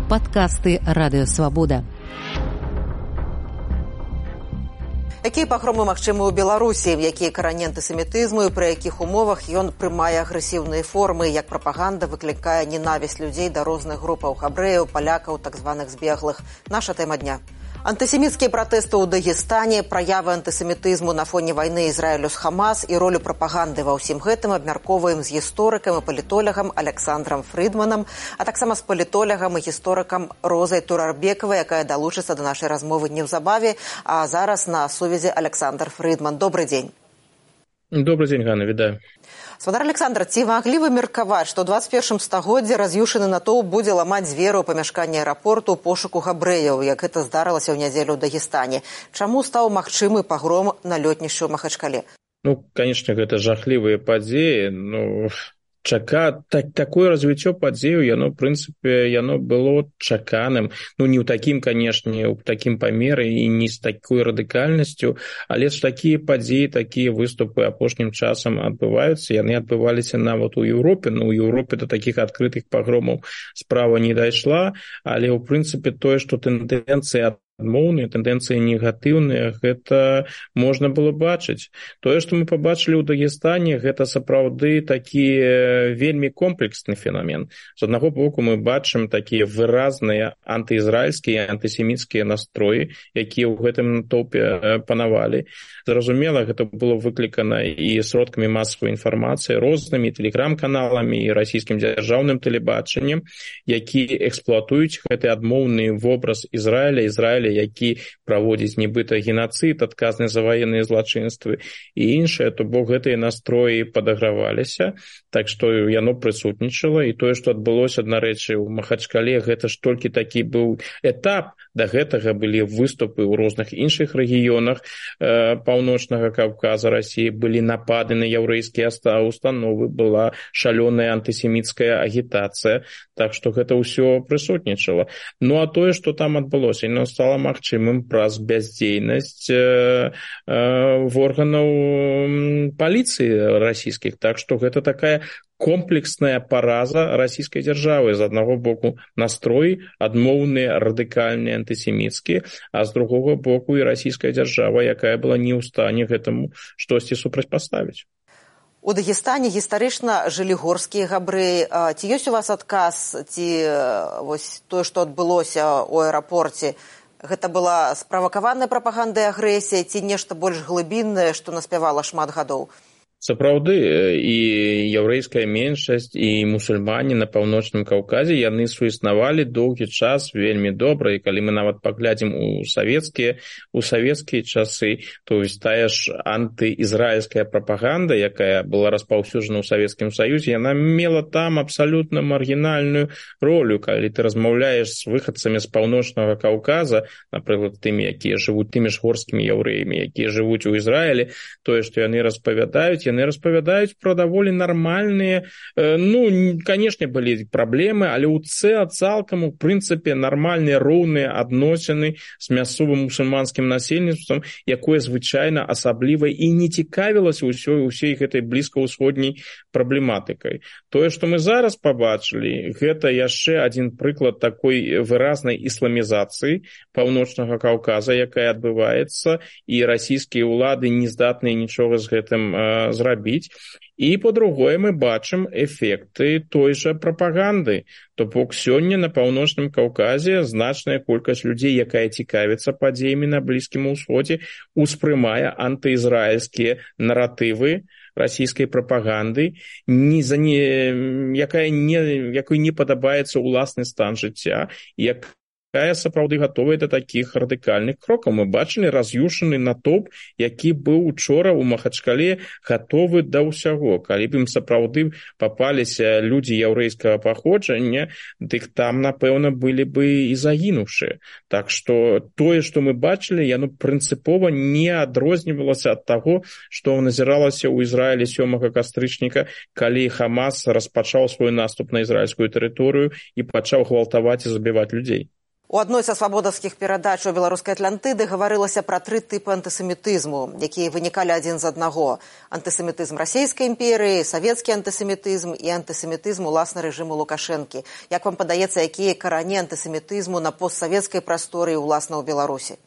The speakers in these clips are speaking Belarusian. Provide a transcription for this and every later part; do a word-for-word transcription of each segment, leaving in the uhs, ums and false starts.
Падкасты Радыё Свабода. Якія пагромы магчымы ў Беларусі, якія карані антысемітызму і пры якіх умовах ён прымае агрэсіўныя формы, як прапаганда выклікае ненавісць людзей да розных групаў габрэяў, палякаў, так званых збеглых. Наша тэма дня. Антысеміцкія пратэсты ў Дагестане, праявы антысемітызму на фоне вайны Ізраілю з Хамас і ролю прапаганды ва ўсім гэтым абмяркоўваем з гісторыкам і палітолягам Александрам Фрыдманам, а таксама з палітолягам і гісторыкам Розай Турарбекавай, якая далучыцца да нашай размовы неўзабаве. А зараз на сувязі Александр Фрыдман. Добрый дзень. Добрый дзень, Ганна, вітаю. Свадар Александр, ці маглі вы меркаваць, што ў дваццаць першым стагоддзі раз'юшаны натоўп будзе ламаць дзверы ў памяшканні аэрапорту ў пошуку габрэяў, як гэта здарылася ў нядзелю ў Дагестане? Чаму стаў магчымы пагром на лётнішчу ў Махачкале? Ну, конечно, гэта жахлівыя падзеі, ну... Чака, так, такое развіццё падзеяў, яно, в прынцыпе, яно было чаканым. Ну, не ў такім, канешне, ў такім памеры і не з такой радыкальнасцю, але ж такія падзеі, такія выступы апошнім часам адбываюцца. Яны адбываліся нават у Еўропе. Ну, у Еўропе да такіх адкрытых пагромаў справа не дайшла, але, ў прынцыпе, тое, што тэндэнцыя адмоўныя, тэндэнцыі негатыўныя, гэта можна было бачыць. Тое, што мы пабачылі ў Дагестане, гэта сапраўды такі вельмі комплексны феномен. З аднаго боку мы бачым такія выразныя антыізраільскія, антысеміцкія настроі, якія ў гэтым натоўпе панавалі. Зразумела, гэта было выклікана і сродкамі масавай інфармацыі, рознымі тэлеграм-каналамі і расійскім дзяржаўным тэлебачаннем, якія эксплуатуюць гэты адмоўны вобраз Ізраіля, Ізраіля, які праводзіць нібыта генацыд, адказны за ваенныя злачынствы і іншае, то бок гэтыя настроі падаграваліся, так што яно прысутнічала, і тое, што адбылося, дарэчы, у Махачкале, гэта ж толькі такі быў этап. Да гэтага былі выступы ў розных іншых рэгіёнах э, паўночнага Каўказа, Расіі, былі напады на яўрэйскія установы, была шалёная антысеміцкая агітацыя, так што гэта ўсё прысутнічала. Ну а тое, што там адбылося, яно стала магчымым праз бяздзейнасць э, э, органаў паліцыі расійскіх, так што гэта такая комплексная параза расійскай дзяржавы. З аднаго боку настроі адмоўныя, радыкальныя, антысеміцкія, а з другога боку і расійская дзяржава, якая была не ў стане гэтаму штосьці супрацьпаставіць. У Дагестане гістарычна жылі горскія габрэі. Ці ёсць у вас адказ, ці вось тое, што адбылося ў аэрапорце, гэта была справакаваная прапаганда і агрэсія, ці нешта больш глыбіннае, што наспявала шмат гадоў? Сапраўды, і яўрэйская меншасць, і мусульмане на паўночным Каўказе, яны суіснавалі доўгі час вельмі добра, і калі мы нават паглядзім у савецкія, у савецкія часы, то ёсць тая ж антыізраільская прапаганда, якая была распаўсюджана ў Савецкім Саюзе, яна мела там абсалютна маргінальную ролю. Калі ты размаўляеш з выхадцамі з паўночнага Каўказа, напрыклад, тымі, якія жывуць, тымі ж горскімі яўрэямі, якія жывуць у Ізраілі, тое, што яны распавядаюць, яны распавядаюць пра даволі нармальныя, ну, канешне, былі праблемы, але ў цэ цалкам, у прынцыпе, нармальныя, роўныя адносіны з мясцовым мусульманскім насельніцтвам, якое звычайна асабліва і не цікавілася ўсёй, усей гэтай блізкаўсходняй праблематыкай. Тое, што мы зараз пабачылі, гэта яшчэ адзін прыклад такой выразнай ісламізацыі паўночнага Каўказа, якая адбываецца, і расійскія ўлады не здатныя нічога з гэтым зрабіць. Зрабіць. І, по-другое, мы бачым эфекты той жа прапаганды. То бок сёння на паўночным Каўказе значная колькасць людзей, якая цікавіцца падзеямі на Блізкім Усходзе, успрымае антыізраільскія наратывы расійскай прапаганды, не за не, якая не, якой не падабаецца ўласны стан жыцця, як якая сапраўды гатовая да такіх радыкальных крокаў. Мы бачылі раз'юшаны натоўп, які быў учора ў Махачкале гатовы да ўсяго. Калі б ім сапраўды папаліся людзі яўрэйскага паходжання, дык там, напэўна, былі бы і загінуўшыя. Так што тое, што мы бачылі, яно прынцыпова не адрознівалася ад таго, што назіралася ў Ізраілі сёмага кастрычніка, калі Хамас распачаў свой наступ на ізраільскую тэрыторыю і пачаў гвалтаваць і забіваць людзей. У адной са свабодаўскіх перадач у беларускай Атлантыды гаварылася пра тры тыпы антысемітызму, якія вынікалі адзін з аднаго. Антысемітызм расійскай імперыі, савецкі антысемітызм і антысемітызм уласна рэжыму Лукашэнкі. Як вам падаецца, якія карані антысемітызму на постсавецкай прасторы уласна ў Беларусі?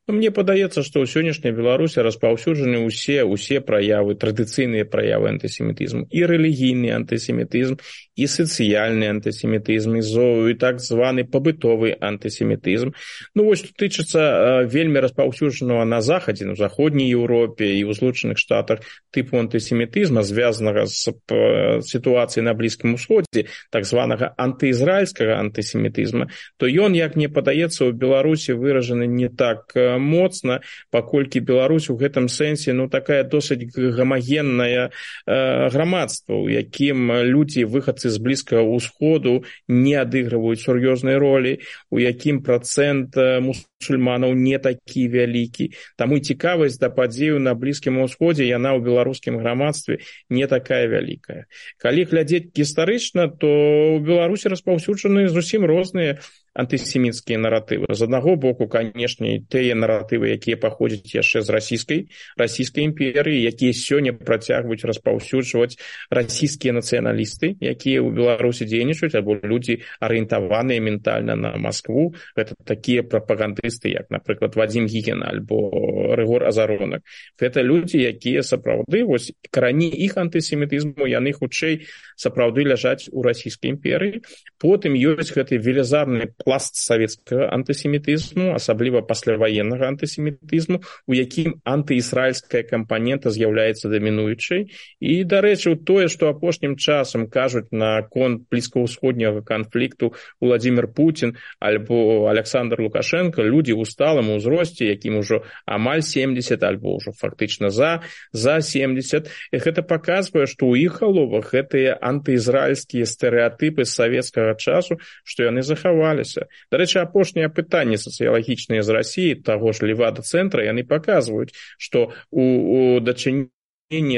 Мне падаецца, што ў сённяшняй Беларусі распаўсюджаны ўсе усе праявы, традыцыйныя праявы антысемітызму, і рэлігійны антысемітызм, і сацыяльны антысемітызм, і так званы пабытовы антысемітызм. Ну вось, што тычыцца вельмі распаўсюджанага на захадзе, на заходняй Еўропе і ў Злучаных Штатах тыпу антысемітызма, звязанага з сітуацыяй на Блізкім Усходзе, так званага антыізраільскага антысемітызма, то ён, як мне падаецца, у Беларусі выражаны не так моцна, паколькі Беларусь у гэтым сэнсе ну такая досыць гамагенная э, грамадства, у якім людзі выхадцы з Блізкага ўсходу не адыгрываюць сур'ёзнай ролі, у якім працэнт мусульманаў не такі вялікі. Таму цікавасць да падзеяў на Блізкім усходзе яна ў беларускім грамадстве не такая вялікая. Калі глядзець гістарычна, то ў Беларусі распаўсюджаны зусім розныя антысеміцкія наратывы. З аднаго боку, канешне, тыя наратывы, якія паходзяць яшчэ з расійскай расійскай імперыі, якія сёння працягваюць распаўсюджваць расійскія нацыяналісты, якія ў Беларусі дзейнічаюць, або людзі арыентаваныя ментальна на Маскву. Гэта такія прапагандысты, як, напрыклад, Вадзім Гігін альбо Рыгор Азаронак. Гэта людзі, якія сапраўды, вось карані іх антысемітызму, яны хутчэй сапраўды ляжаць у расійскай імперыі. Потым ёсць гэты велізарны пласт савецкага антысемітызму, асабліва пасляваеннага антысемітызму, у якім антыізраільская кампанента з'яўляецца дамінуючай. І, дарэчы, тое, што апошнім часам кажуць на конт блізкаўсходняга канфлікту Владзімір Пуцін альбо Александр Лукашенко, людзі ў сталым узросце, якім ужо амаль семдзесят альбо ўжо фактычна за, за семдзесят. І гэта паказвае, што ў іх галовах гэтыя антыізраільскія стэрэатыпы з савецкага часу, што яны захаваліся. Дарэчы, апошнія пытанні сацыялагічныя з Расіі, таго ж Левада-цэнтра, яны паказваюць, што у, у дачыненні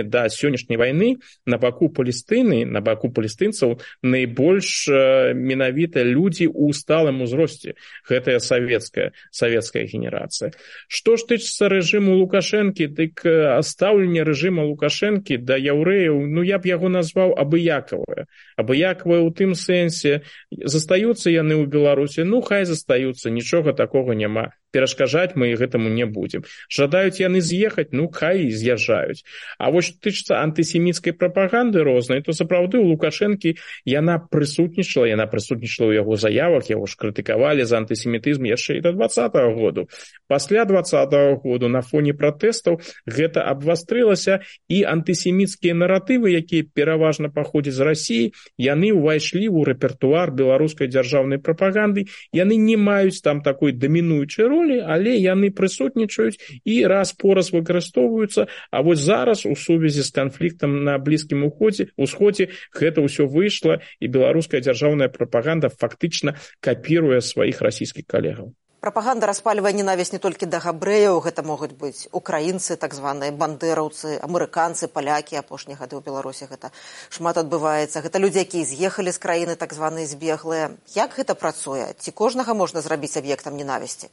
да сённяшняй вайны на баку Палестыны, на баку палестынцаў найбольш э, менавіта людзі ў сталым узросце. Гэтая савецкая, савецкая генерацыя. Што ж тычыцца рэжыму Лукашэнкі, дык стаўленне рэжыма Лукашэнкі да яўрэяў, ну я б яго назваў абыякавае. Абыякавае ў тым сэнсе, застаюцца яны ў Беларусі, ну хай застаюцца, нічога такога няма. Перашкаджаць мы гэтаму не будзем. Жадаюць яны з'ехаць, ну хай з'язджаюць. А вось што тычыцца антысеміцкай прапаганды рознай, то сапраўды у Лукашэнкі яна прысутнічала, яна прысутнічала ў яго заявах, яго ж крытыкавалі за антысемітызм яшчэ і да дваццатага году. Пасля дваццатага году на фоне пратэстаў гэта абвастрылася, і антысеміцкія наратывы, якія пераважна паходзяць з Расіі, яны ўвайшлі ў рэпертуар беларускай дзяржаўнай прапаганды, яны не маюць там такой дамінуючай ролі, але яны прысутнічаюць і раз-пораз выкарыстоўваюцца, а вось зараз у сувязі з канфліктам на Блізкім усходзе гэта ўсё выйшла, і беларуская дзяржаўная прапаганда фактычна капіруе сваіх расійскіх калегаў. Прапаганда распальвае ненавісць не толькі да габрэяў, гэта могуць быць украінцы, так званыя бандэраўцы, амерыканцы, палякі, апошнія гады ў Беларусі гэта шмат адбываецца. Гэта людзі, якія з'ехалі з краіны, так званыя збеглыя. Як гэта працуе? Ці кожнага можна зрабіць аб'ектам ненавісці?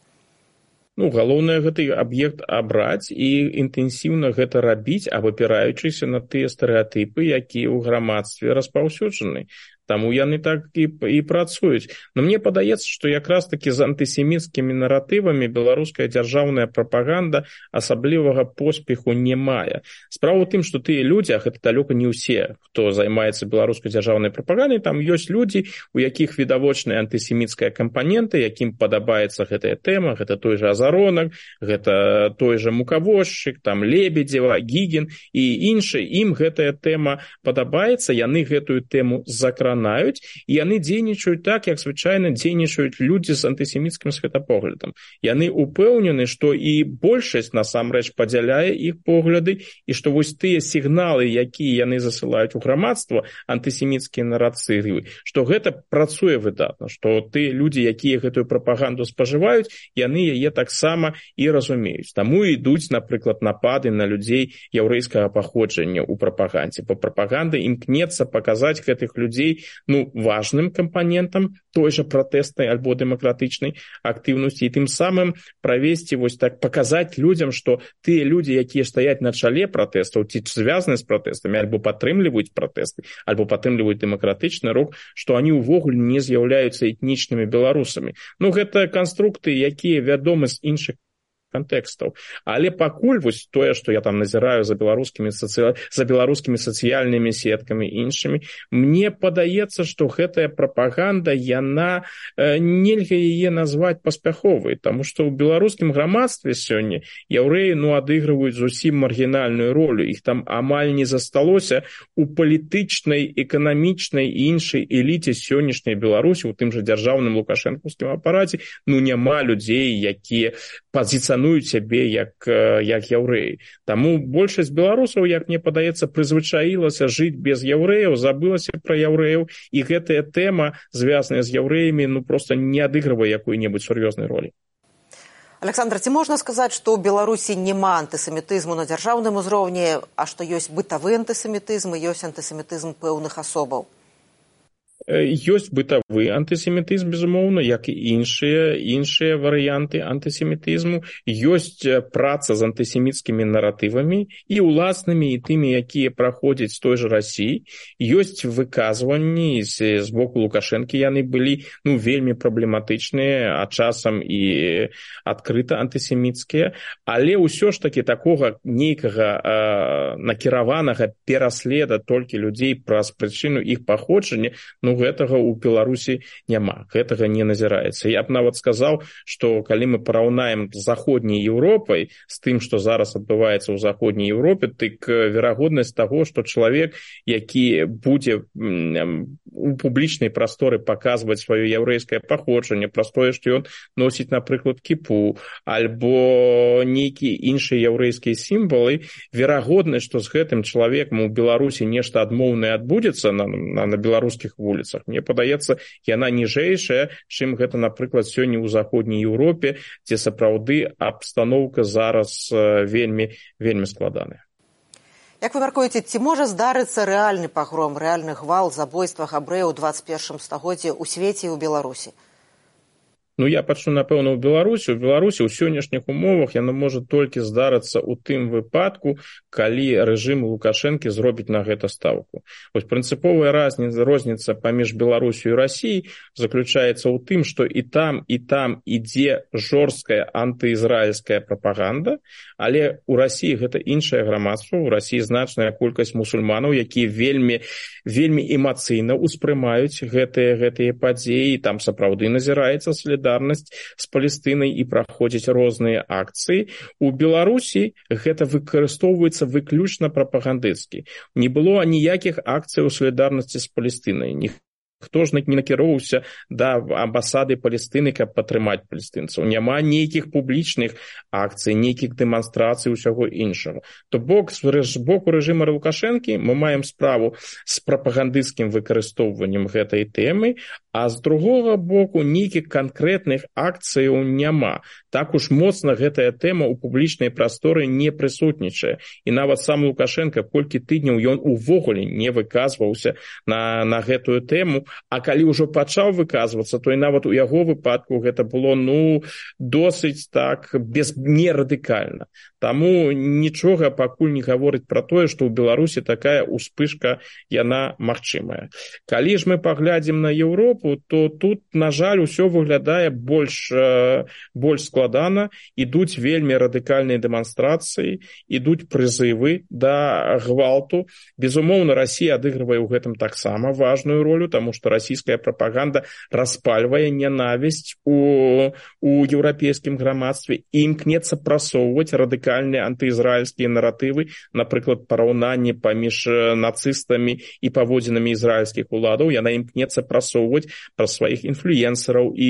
Ну, галоўнае гэты аб'ект абраць і інтэнсіўна гэта рабіць, абапіраючыся на тыя стэрэатыпы, якія ў грамадстве распаўсюджаны. Таму яны так і, і працуюць. Но мне падаецца, што якраз такі з антысеміцкімі наратывамі беларуская дзяржаўная прапаганда асаблівага поспеху не мае. Справа ў тым, што тыя людзі, а гэта далёка не ўсе, хто займаецца беларускай дзяржаўнай прапагандай, там ёсць людзі, у якіх відавочная антысеміцкая кампанента, якім падабаецца гэтая тэма, гэта той жа Азаронак, гэта той жа Мукавозчык, там Лебедзева, Гігін і іншы. Ім гэтая тэма падабаецца, яны гэтую тэму закранаюць, і яны дзейнічаюць так, як звычайна дзейнічаюць людзі з антысеміцкім светапоглядам. Яны упэўнены, што і большасць насамрэч падзяляе іх погляды, і што вось тыя сігналы, якія яны засылаюць у грамадства, антысеміцкія нарацывы, што гэта працуе выдатна, што тыя людзі, якія гэтую прапаганду спажываюць, яны яе таксама і разумеюць. Таму ідуць, напрыклад, напады на людзей яўрэйскага паходжання ў прапагандзе. Бо прапаганда імкнецца паказаць гэтых людзей ну, важным кампанентам той же пратэснай альбо дэмакратычнай актыўнасці, і тым самым правесці, вось так, паказаць людзям, што тыя людзі, якія стаяць на чале пратэстаў, ці звязаны з пратэстамі, альбо падтрымліваюць пратэсты, альбо падтрымліваюць дэмакратычны рух, што они ўвогуле не з'яўляюцца этнічнымі беларусамі. Ну, гэта канструкты, якія вядомы з іншых контекстаў. Але пакуль вось тое, што я там назіраю за беларускімі сацыя... за беларускімі сацыяльнымі сеткамі і іншымі, мне падаецца, што гэтая прапаганда, яна э, нельга яе назваць паспяховай, таму што ў беларускім грамадстве сёння яўрэі, ну, адыгрываюць зусім маргінальную ролю. Іх там амаль не засталося у палітычнай, эканамічнай і іншай эліце сённяшняй Беларусі, у тым жа дзяржаўным лукашэнкаўскім апараце, ну, няма людзей, якія пазіцыянуюць сябе як, як яўрэі. Таму большасць беларусаў, як мне падаецца, прызвычаілася жыць без яўрэяў, забылася пра яўрэяў, і гэтая тэма, звязаная з яўрэямі, ну, проста не адыгрывае якой-небудзь сур'ёзнай ролі. Александр, ці можна сказаць, што ў Беларусі няма антысемітызму на дзяржаўным узроўні, а што ёсць бытавы антысемітызм і ёсць антысемітызм пэўных асобаў? Ёсць бытавы антысемітызм, безумоўна, як і іншыя, іншыя варыянты антысемітызму. Ёсць праца з антысеміцкімі наратывамі і ўласнымі, і тымі, якія праходзяць з той жа Расіі. Ёсць выказванні з, з боку Лукашэнкі, яны былі, ну, вельмі праблематычныя, а часам і адкрыта антысеміцкія. Але ўсё ж такі такога нейкага э, накіраванага пераследа толькі людзей праз прычыну іх паходжання, ну, гэтага ў Беларусі няма, гэтага не назіраецца. Я б нават сказаў, што калі мы параўнаем з заходняй Еўропай, з тым, што зараз адбываецца ў заходняй Еўропе, дык верагоднасць таго, што чалавек, які будзе у публічнай прасторы паказваць сваё яўрэйскае паходжанне, праз тое, што ён носіць, напрыклад, кіпу, альбо нейкія іншыя яўрэйскія сімвалы, верагоднасць, што з гэтым чалавекам у Беларусі нешта адмоўнае адбудзецца на, на, на беларускіх вуліцах, мне падаецца, яна ніжэйшая, чым гэта, напрыклад, сёння ў заходняй Еўропе, дзе сапраўды абстаноўка зараз вельмі, вельмі складаная. Як вы мяркуеце, ці можа здарыцца рэальны пагром, рэальны гвалт, забойства габрэяў у дваццаць першым стагоддзі ў свеце і ў Беларусі? Ну, я пачну, напэўна, ў Беларусі. У Беларусі ў сённяшніх умовах яно можа толькі здарыцца ў тым выпадку, калі рэжым Лукашэнкі зробіць на гэта стаўку. Вось прынцыповая розніца паміж Беларусю і Расіяй заключаецца ў тым, што і там, і там ідзе жорсткая антыізраільская прапаганда, але ў Расіі гэта іншае грамадства, у Расіі значная колькасць мусульманаў, якія вельмі, вельмі эмацыйна ўспрымаюць гэтыя, гэтыя падзеі, там сапраўды назіраецца след з Палестынай і праходзяць розныя акцыі. У Беларусі гэта выкарыстоўваецца выключна прапагандысцкі. Не было ніякіх акцый у салідарнасці з Палестынай. Хто ж не накіроўваўся да амбасады Палестыны, каб падтрымаць палестынцаў. Няма нейкіх публічных акцый, нейкіх дэманстрацый, усяго іншага. То бок, з боку рэжыма Лукашэнкі мы маем справу з прапагандысцкім выкарыстоўваннем гэтай тэмы, а з другога боку нейкіх канкрэтных акцыяў няма. Так уж моцна гэтая тэма ў публічнай прасторы не прысутнічае. І нават сам Лукашенко колькі тыдняў ён увогуле не выказваўся на, на гэтую тэму, а калі ўжо пачаў выказвацца, то і нават у яго выпадку гэта было, ну, досыць так без, не радыкальна. Таму нічога пакуль не гаворыць пра тое, што ў Беларусі такая ўспышка, яна магчымая. Калі ж мы паглядзім на Еўропу, то тут, на жаль, усё выглядае больш, больш складана, ідуць вельмі радыкальныя дэманстрацыі, ідуць прызывы да гвалту. Безумоўна, Расія адыгрывае ў гэтым таксама важную ролю, таму што расійская прапаганда распальвае нянавісць у, у еўрапейскім грамадстве і імкнецца прасоўваць радыкальныя антыізраільскія наратывы, напрыклад, параўнанне паміж нацыстамі і паводзінамі ізраільскіх уладаў. Яна імкнецца прасоўваць праз сваіх інфлюенсараў і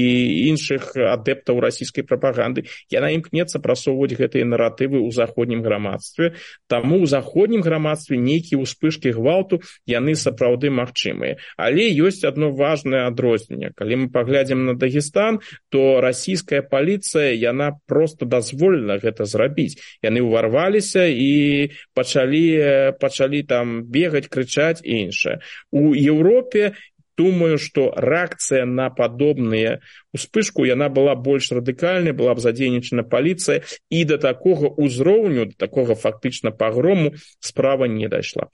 іншых адэптаў расійскай прапаганды. Яна імкнецца прасоўваць гэтыя наратывы ў заходнім грамадстве. Таму ў заходнім грамадстве нейкія ўспышкі гвалту, яны сапраўды магчымыя. Але ёсць адно важнае адрозненне. Калі мы паглядзім на Дагестан, то расійская паліцыя, яна проста дазволіла гэта зрабіць. Яны ўварваліся і пачалі, пачалі там бегаць, крычаць і іншае. У Еўропе думаю, што рэакцыя на падобныя успышку яна была больш радыкальнай, была б задзейнічана паліцыя, і да такога ўзроўню, да такога фактычна пагрому справа не дайшла.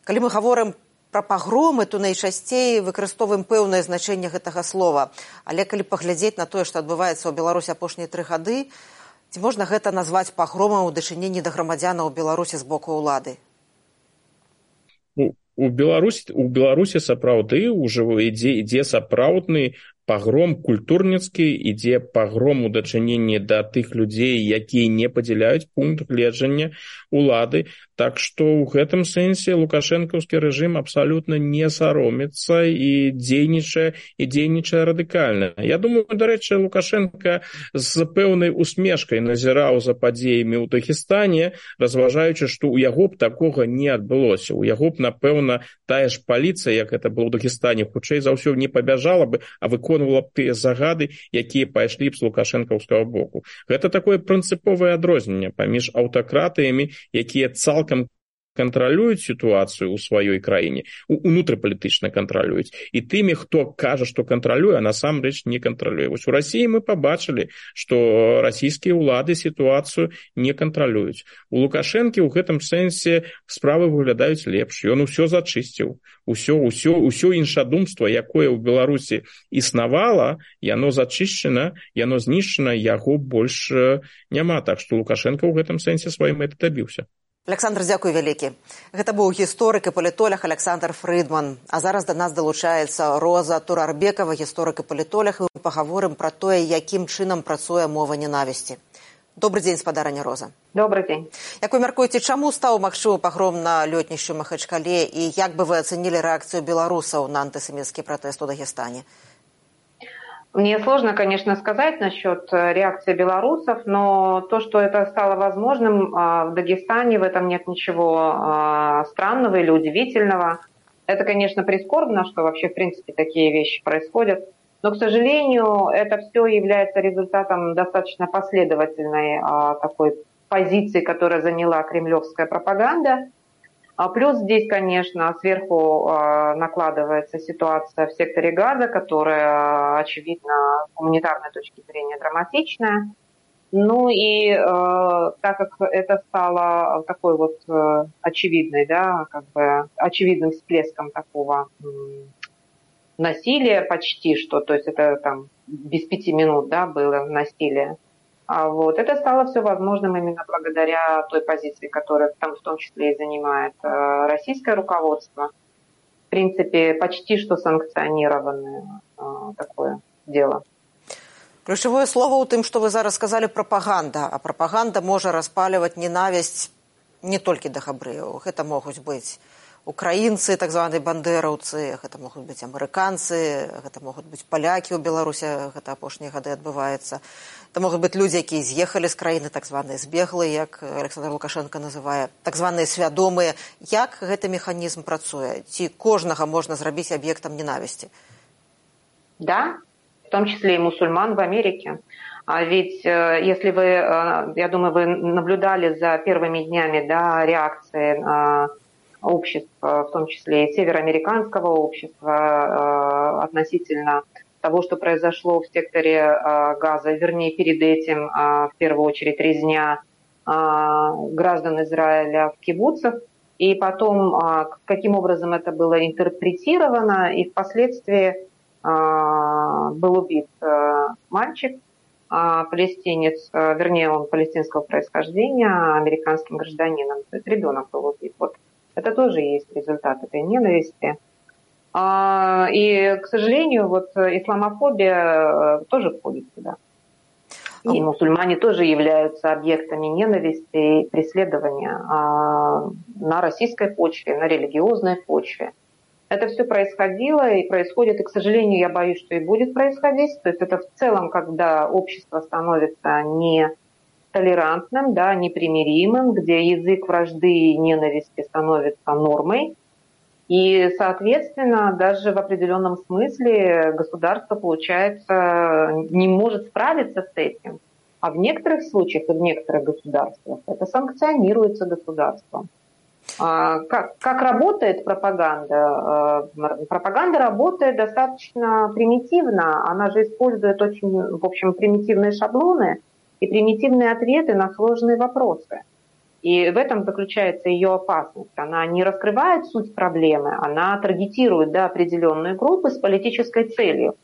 Калі мы гаворым пра пагромы, то найчасцей выкарыстоўваем пэўнае значэнне гэтага слова. Але калі паглядзець на тое, што адбываецца ў Беларусі апошнія тры гады, ці можна гэта назваць пагромам у дачыненні да грамадзянаў Беларусі з боку ўлады? У Беларусі, у Беларусі сапраўды ўжо ідзе, ідзе сапраўдны пагром культурніцкі, ідзе пагром у дачыненні да тых людзей, якія не падзяляюць пункт гледжання улады. Так што ў гэтым сэнсе лукашэнкаўскі рэжым абсалютна не саромецца і дзейнічае, і дзейнічае радыкальна. Я думаю, дарэчы, Лукашенка з пэўнай усмешкай назіраў за падзеямі ў Дагестане, разважаючы, што ў яго б такога не адбылося. У яго б, напэўна, тая ж паліцыя, як гэта было ў Дагестане, хутчэй за ўсё не пабяжала бы, а выконвала б тыя загады, якія пайшлі б з лукашэнкаўскага боку. Гэта такое прынцыповае адрозненне паміж аўтакратыямі, якія цалкам кантралююць сітуацыю ў сваёй краіне, унутрыпалітычна кантралююць, і тымі, хто кажа, што кантралюе, а насамрэч не кантралюе. Вось у Расіі мы пабачылі, што расійскія ўлады сітуацыю не кантралююць. У Лукашэнкі ў гэтым сэнсе справы выглядаюць лепш. Ён усё зачысціў. Усё, усё, усё іншадумства, якое ў Беларусі існавала, яно зачышчана, яно знішчана, яго больш няма. Так што Лукашенко ў гэтым сэнсе сваёй мэты дабіўся. Александр, дзякуй вялікі. Гэта быў гісторык і палітолог Александр Фрыдман. А зараз да нас далучаецца Роза Турарбекова, гісторык і палітолог, і мы пагаворым пра тое, якім чынам працуе мова ненавісці. Добры дзень, спадарыня Роза. Добрый дзень. Як вы мяркуеце, чаму стаў магчымы пагром на лётнішчу Махачкале, і як бы вы ацэнілі рэакцыю беларусаў на антысеміцкі пратэст у Дагестане? Мне сложно, конечно, сказать насчет реакции белорусов, но то, что это стало возможным в Дагестане, в этом нет ничего странного или удивительного. Это, конечно, прискорбно, что вообще, в принципе, такие вещи происходят. Но, к сожалению, это все является результатом достаточно последовательной такой позиции, которую заняла кремлевская пропаганда. А плюс здесь, конечно, сверху э, накладывается ситуация в секторе Газа, которая, очевидно, с гуманитарной точки зрения драматичная. Ну и э, так как это стало такой вот э, очевидной, да, как бы очевидным всплеском такого э, насилия почти что, то есть это там без пяти минут, да, было насилие. А вот это стало все возможным именно благодаря той позиции, которую там в том числе и занимает э, российское руководство. В принципе, почти что санкционированное э, такое дело. Ключевое слово у тым, что вы зараз сказали, пропаганда. А пропаганда можа распаливать ненависть не только до габрэяў. Это могут быть украинцы, так званыя бандераўцы, это могут быть амерыканцы, это могут быть поляки у Беларусі, гэта апошнія гады адбываецца. Это могут быть люди, якія з'ехалі з краіны, так званыя збеглыя, як Александр Лукашенко называе, так званыя свядомыя. Як гэты механізм працуе? Ці кожнага можна зрабіць аб'ектам ненависти? Да, в том числе и мусульман в Америке. А ведь если вы, я думаю, вы наблюдали за первыми днями, да, реакции обществ, в том числе и североамериканского общества, относительно того, что произошло в секторе Газа, вернее, перед этим, в первую очередь, резня граждан Израиля в кибуцах, и потом, каким образом это было интерпретировано, и впоследствии был убит мальчик, палестинец, вернее, он палестинского происхождения, американским гражданином, то есть ребенок был убит. Вот это тоже есть результат этой ненависти. И, к сожалению, вот исламофобия тоже входит сюда. И мусульмане тоже являются объектами ненависти и преследования на российской почве, на религиозной почве. Это все происходило и происходит, и, к сожалению, я боюсь, что и будет происходить. То есть это в целом, когда общество становится не толерантным, да, непримиримым, где язык вражды и ненависти становится нормой. И, соответственно, даже в определенном смысле государство, получается, не может справиться с этим. А в некоторых случаях и в некоторых государствах это санкционируется государством. Как, как работает пропаганда? Пропаганда работает достаточно примитивно. Она же использует очень, в общем, примитивные шаблоны и примитивные ответы на сложные вопросы. И в этом заключается ее опасность. Она не раскрывает суть проблемы, она таргетирует, да, определенные группы с политической целью.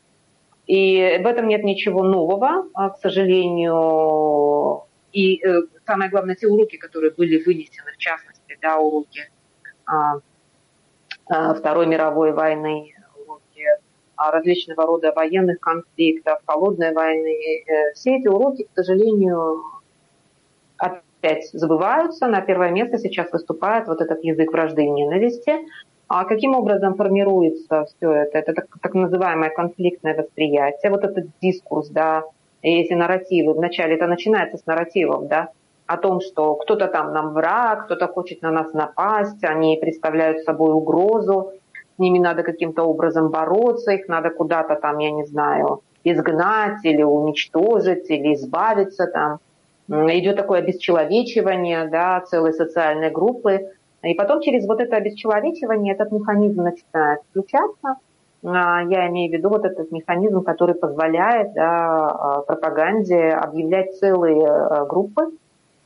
И в этом нет ничего нового, к сожалению. И самое главное, те уроки, которые были вынесены, в частности, да, уроки а, а, Второй мировой войны, уроки а, различного рода военных конфликтов, холодной войны, все эти уроки, к сожалению, опять забываются. На первое место сейчас выступает вот этот язык вражды и ненависти. А каким образом формируется все это? Это так, так называемое конфликтное восприятие, вот этот дискурс, да, эти нарративы. Вначале это начинается с нарративов, да, о том, что кто-то там нам враг, кто-то хочет на нас напасть, они представляют собой угрозу, с ними надо каким-то образом бороться, их надо куда-то там, я не знаю, изгнать или уничтожить, или избавиться там. Идет такое обесчеловечивание, да, целой социальной группы. И потом через вот это обесчеловечивание этот механизм начинает включаться. Я имею в виду вот этот механизм, который позволяет, да, пропаганде объявлять целые группы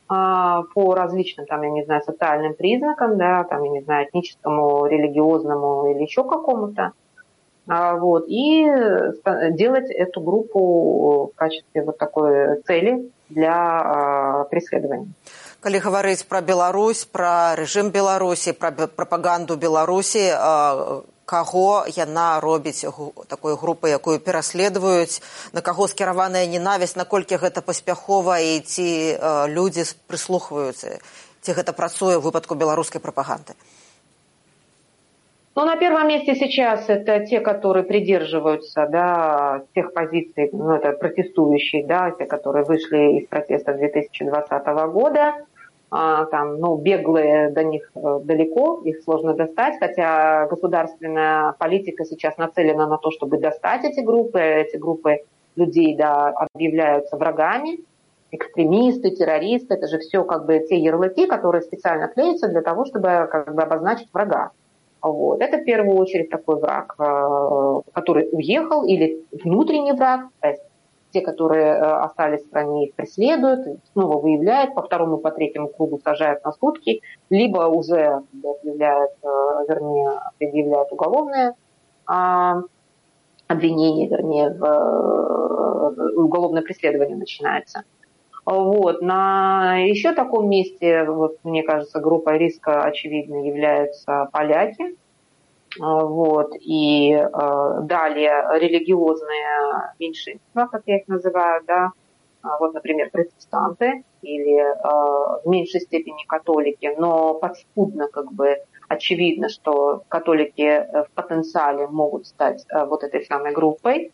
по различным, там, я не знаю, социальным признакам, да, там, я не знаю, этническому, религиозному или еще какому-то. Вот, и делать эту группу в качестве вот такой цели для преследования. Калі гаварыць пра Беларусь, пра рэжым Беларусі, пра прапаганду Беларусі, каго яна робіць такой групы, якую пераследуюць, на каго скіраваная ненавісць, наколькі гэта паспяхова і ці людзі прыслухваюцца, ці гэта працуе ў выпадку беларускай прапаганды? Ну, на первом месте сейчас это те, которые придерживаются, да, тех позиций, ну, это протестующие, да, те, которые вышли из протеста две тысячи двадцатого года. А, там, ну, беглые до них далеко, их сложно достать, хотя государственная политика сейчас нацелена на то, чтобы достать эти группы. Эти группы людей, да, объявляются врагами, экстремисты, террористы. Это же все как бы те ярлыки, которые специально клеятся для того, чтобы как бы обозначить врага. Вот. Это в первую очередь такой враг, который уехал, или внутренний враг, то есть те, которые остались в стране, их преследуют, снова выявляют, по второму, по третьему кругу сажают на сутки, либо уже объявляют, вернее, предъявляют уголовное обвинение, вернее, уголовное преследование начинается. Вот. На еще таком месте, вот, мне кажется, группой риска, очевидно, являются поляки. Вот. И э, далее религиозные меньшинства, как я их называю, да, вот, например, протестанты или э, в меньшей степени католики, но подспудно как бы очевидно, что католики в потенциале могут стать э, вот этой самой группой.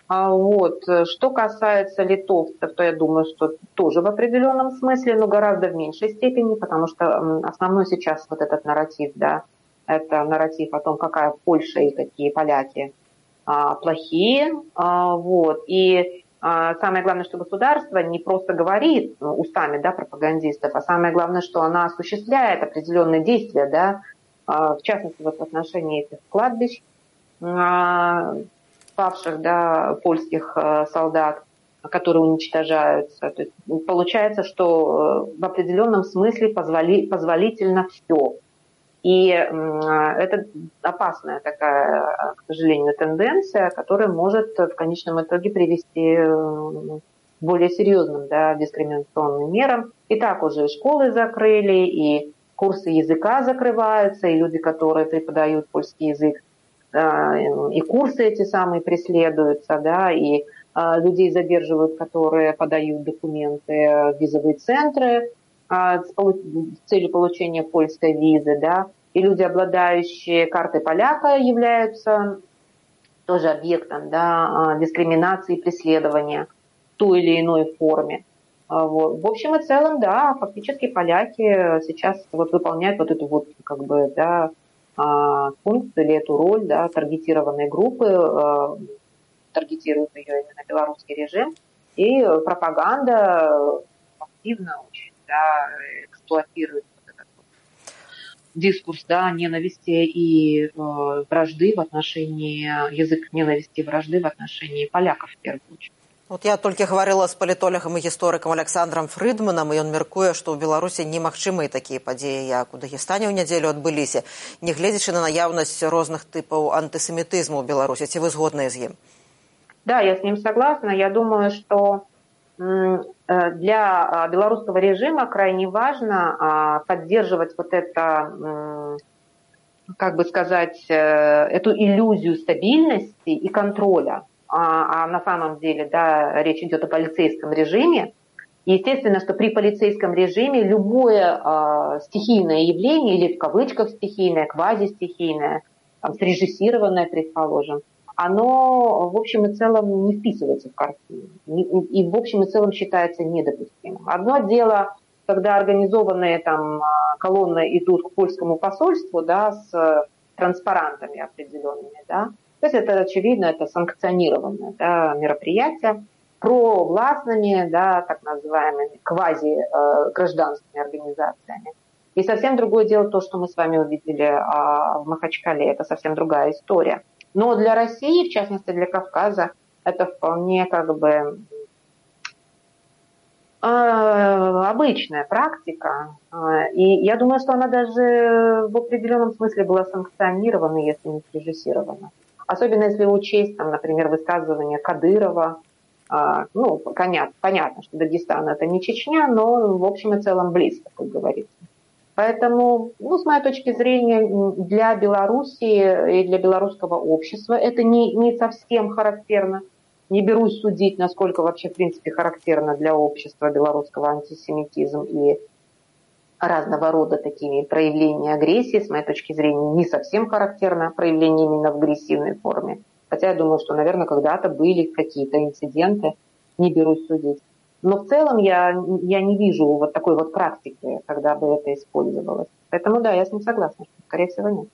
Вот. Что касается литовцев, то я думаю, что тоже в определенном смысле, но гораздо в меньшей степени, потому что основной сейчас вот этот нарратив, да, это нарратив о том, какая Польша и какие поляки а, плохие. А, вот. И а, самое главное, что государство не просто говорит устами, да, пропагандистов, а самое главное, что она осуществляет определенные действия, да, а, в частности, вот в отношении этих кладбищ, а, павших, да, польских э, солдат, которые уничтожаются. То есть получается, что в определенном смысле позволи, позволительно все. И э, это опасная такая, к сожалению, тенденция, которая может в конечном итоге привести к более серьезным, да, дискриминационным мерам. И так уже школы закрыли, и курсы языка закрываются, и люди, которые преподают польский язык, и курсы эти самые преследуются, да, и а, людей задерживают, которые подают документы в визовые центры а, с, полу- с целью получения польской визы, да, и люди, обладающие картой поляка, являются тоже объектом, да, дискриминации и преследования в той или иной форме. А, вот. В общем и целом, да, фактически поляки сейчас вот выполняют вот эту вот, как бы, да, функцию или эту роль, да, таргетированной группы, э, таргетирует ее именно белорусский режим, и пропаганда активно очень, да, эксплуатирует вот этот дискурс, да, ненависти и э, вражды в отношении, язык ненависти и вражды в отношении поляков в первую очередь. Вот я толькі гаварыла з палітолагам і гісторыкам Александром Фрыдманам, і ён мяркуе, што ў Беларусі немагчымыя такія падзеі, як у Дагестане ў нядзелю адбыліся, нягледзячы на наяўнасць розных тыпаў антысемітызму ў Беларусі. Ці вы згодныя з ім? Да, я с ним согласна. Я думаю, что для белорусского режима крайне важно поддерживать вот это, как бы сказать, эту иллюзию стабильности и контроля. А на самом деле, да, речь идет о полицейском режиме. Естественно, что при полицейском режиме любое э, стихийное явление, или в кавычках стихийное, квазистихийное, там, срежиссированное, предположим, оно в общем и целом не вписывается в картину. И, и в общем и целом считается недопустимым. Одно дело, когда организованные там колонны идут к польскому посольству, да, с транспарантами определенными, да. То есть это, очевидно, это санкционированное, да, мероприятие провластными, да, так называемыми квази-гражданскими организациями. И совсем другое дело то, что мы с вами увидели а, в Махачкале. Это совсем другая история. Но для России, в частности для Кавказа, это вполне как бы э, обычная практика. И я думаю, что она даже в определенном смысле была санкционирована, если не срежиссирована. Особенно если учесть, там, например, высказывания Кадырова. Э, ну, понятно, понятно, что Дагестан это не Чечня, но в общем и целом близко, как говорится. Поэтому, ну, с моей точки зрения, для Белоруссии и для белорусского общества это не, не совсем характерно. Не берусь судить, насколько вообще, в принципе, характерно для общества белорусского антисемитизм и разного рода такие проявления агрессии. С моей точки зрения, не совсем характерно проявление именно в агрессивной форме. Хотя я думаю, что, наверное, когда-то были какие-то инциденты, не берусь судить. Но в целом я, я не вижу вот такой вот практики, когда бы это использовалось. Поэтому да, я с ним согласна, что, скорее всего, нет.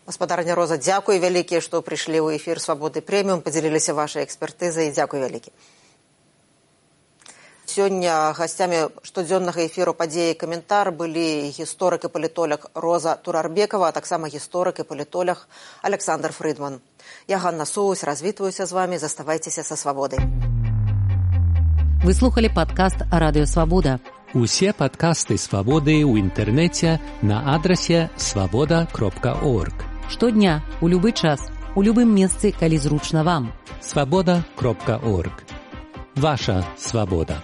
Гаспадарня Роза, дзякуй вялікія, што прыйшлі ў эфір Свабоды Прэміум, падзяліліся вашай экспертызай, і дзякуй вялікі. Сёння гасцямі штодзённага эфіру «Падзеі і каментар» былі гісторык і палітолог Роза Турарбекова, а таксама гісторык і палітолог Александр Фрыдман. Я Ганна Соус, развітваюся з вамі, заставайцеся са свабодай. Вы слухали падкаст «Радыё Свабода». Усе падкасты «Свабоды» ў інтэрнэце на адрасе свабода кропка орг. Штодня, у любы час, у любым месцы, калі зручна вам. свабода кропка орг. Ваша свабода.